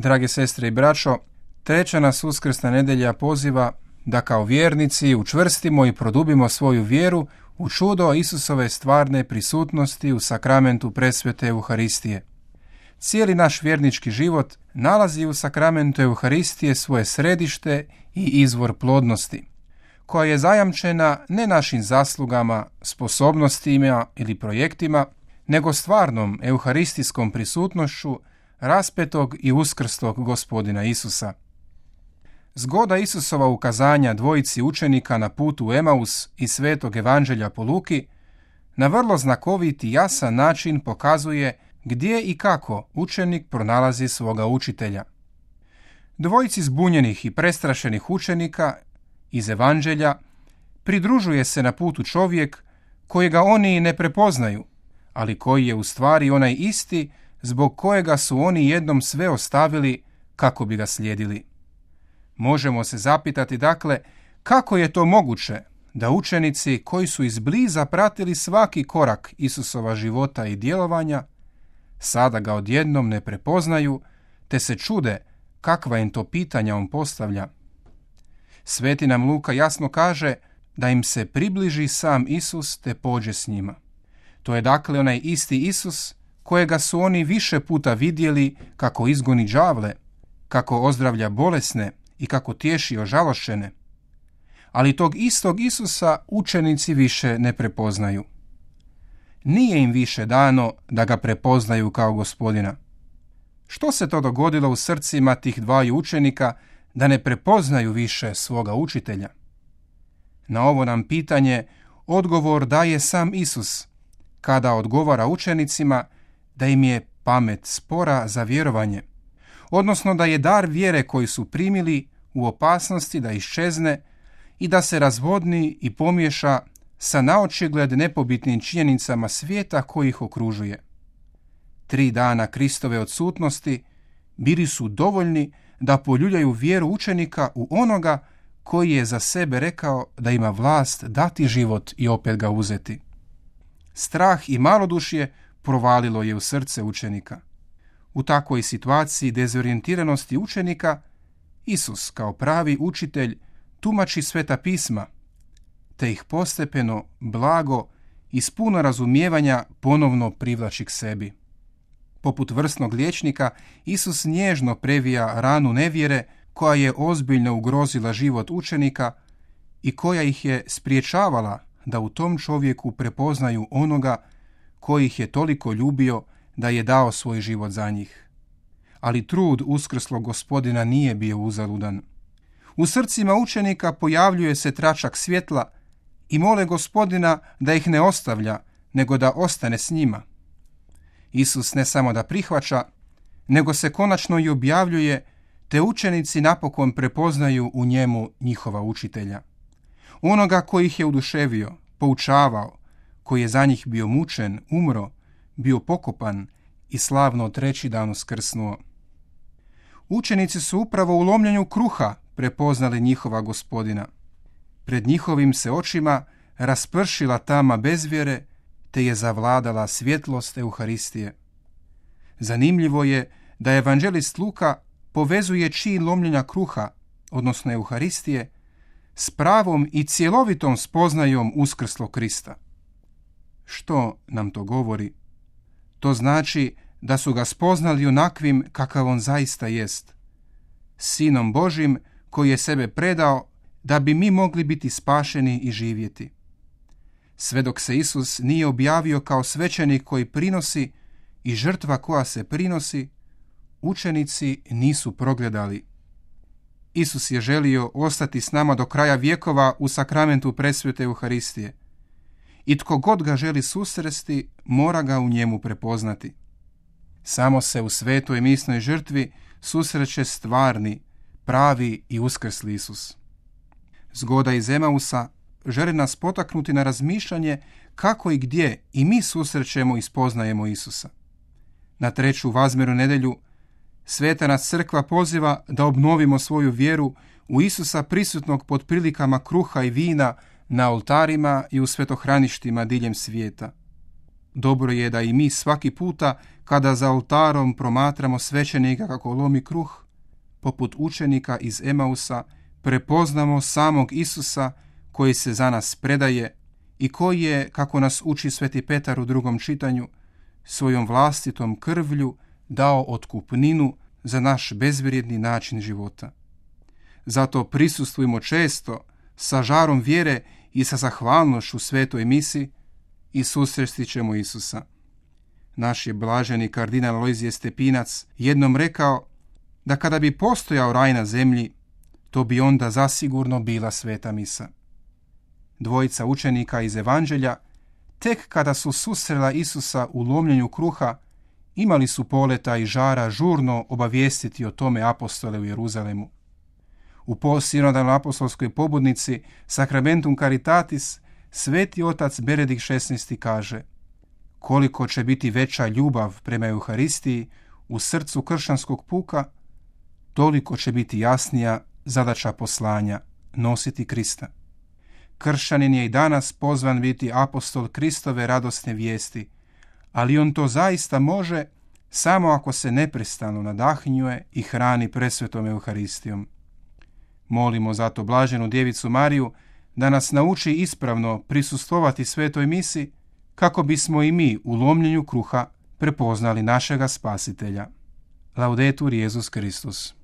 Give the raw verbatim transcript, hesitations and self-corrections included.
Drage sestre i braćo, treća nas uskrsna nedjelja poziva da kao vjernici učvrstimo i produbimo svoju vjeru u čudo Isusove stvarne prisutnosti u sakramentu presvete Euharistije. Cijeli naš vjernički život nalazi u sakramentu Euharistije svoje središte i izvor plodnosti, koja je zajamčena ne našim zaslugama, sposobnostima ili projektima, nego stvarnom euharistijskom prisutnošću raspetog i uskrstog Gospodina Isusa. Zgoda Isusova ukazanja dvojici učenika na putu u Emaus i svetog evanđelja po Luki na vrlo znakovit i jasan način pokazuje gdje i kako učenik pronalazi svoga učitelja. Dvojici zbunjenih i prestrašenih učenika iz evanđelja pridružuje se na putu čovjek kojega oni ne prepoznaju, ali koji je u stvari onaj isti zbog kojega su oni jednom sve ostavili kako bi ga slijedili. Možemo se zapitati, dakle, kako je to moguće da učenici koji su izbliza pratili svaki korak Isusova života i djelovanja, sada ga odjednom ne prepoznaju, te se čude kakva im to pitanja on postavlja. Sveti nam Luka jasno kaže da im se približi sam Isus te pođe s njima. To je dakle onaj isti Isus kojega su oni više puta vidjeli kako izgoni đavle, kako ozdravlja bolesne i kako tješi ožalošćene. Ali tog istog Isusa učenici više ne prepoznaju. Nije im više dano da ga prepoznaju kao Gospodina. Što se to dogodilo u srcima tih dvaju učenika da ne prepoznaju više svoga učitelja? Na ovo nam pitanje odgovor daje sam Isus, kada odgovara učenicima da im je pamet spora za vjerovanje, odnosno da je dar vjere koji su primili u opasnosti da iščezne i da se razvodni i pomiješa sa naočigled nepobitnim činjenicama svijeta koji ih okružuje. Tri dana Kristove odsutnosti bili su dovoljni da poljuljaju vjeru učenika u onoga koji je za sebe rekao da ima vlast dati život i opet ga uzeti. Strah i malodušje provalilo je u srce učenika. U takvoj situaciji dezorijentiranosti učenika, Isus kao pravi učitelj tumači Sveta pisma, te ih postepeno, blago i s puno razumijevanja ponovno privlači k sebi. Poput vrsnog liječnika, Isus nježno previja ranu nevjere koja je ozbiljno ugrozila život učenika i koja ih je spriječavala da u tom čovjeku prepoznaju onoga koji ih je toliko ljubio da je dao svoj život za njih. Ali trud uskrslog Gospodina nije bio uzaludan. U srcima učenika pojavljuje se tračak svjetla i mole Gospodina da ih ne ostavlja, nego da ostane s njima. Isus ne samo da prihvaća, nego se konačno i objavljuje, te učenici napokon prepoznaju u njemu njihova učitelja. Onoga koji ih je oduševio, poučavao, koji je za njih bio mučen, umro, bio pokopan i slavno treći dan uskrsnuo. Učenici su upravo u lomljenju kruha prepoznali njihova Gospodina. Pred njihovim se očima raspršila tama bezvjere, te je zavladala svjetlost Euharistije. Zanimljivo je da evanđelist Luka povezuje čin lomljenja kruha, odnosno Euharistije, s pravom i cjelovitom spoznajom uskrslog Krista. Što nam to govori? To znači da su ga spoznali onakvim kakav on zaista jest, Sinom Božim koji je sebe predao da bi mi mogli biti spašeni i živjeti. Sve dok se Isus nije objavio kao svećenik koji prinosi i žrtva koja se prinosi, učenici nisu progledali. Isus je želio ostati s nama do kraja vjekova u sakramentu presvete Euharistije. I tko god ga želi susresti, mora ga u njemu prepoznati. Samo se u svetoj misnoj žrtvi susreće stvarni, pravi i uskrsli Isus. Zgoda iz Emausa želi nas potaknuti na razmišljanje kako i gdje i mi susrećemo i spoznajemo Isusa. Na treću vazmjernu nedjelju Sveta nas crkva poziva da obnovimo svoju vjeru u Isusa prisutnog pod prilikama kruha i vina na oltarima i u svetohraništima diljem svijeta. Dobro je da i mi svaki puta kada za oltarom promatramo svećenika kako lomi kruh, poput učenika iz Emausa, prepoznamo samog Isusa koji se za nas predaje i koji je, kako nas uči Sveti Petar u drugom čitanju, svojom vlastitom krvlju dao otkupninu za naš bezvrijedni način života. Zato prisustvujmo često sa žarom vjere i sa zahvalnošću svetoj misi i susresti ćemo Isusa. Naš je blaženi kardinal Alojzije Stepinac jednom rekao da kada bi postojao raj na zemlji, to bi onda zasigurno bila sveta misa. Dvojica učenika iz Evanđelja, tek kada su susrela Isusa u lomljenju kruha, imali su poleta i žara žurno obavijestiti o tome apostole u Jeruzalemu. U postsinodalnoj apostolskoj pobudnici Sacramentum Caritatis sveti otac Benedikt šesnaesti kaže: koliko će biti veća ljubav prema Euharistiji u srcu kršćanskog puka, toliko će biti jasnija zadaća poslanja nositi Krista. Kršćanin je i danas pozvan biti apostol Kristove radosne vijesti, ali on to zaista može samo ako se neprestano nadahnjuje i hrani presvetom Euharistijom. Molimo zato blaženu Djevicu Mariju da nas nauči ispravno prisustvovati svetoj misi, kako bismo i mi u lomljenju kruha prepoznali našega Spasitelja. Laudetur Jesus Christus.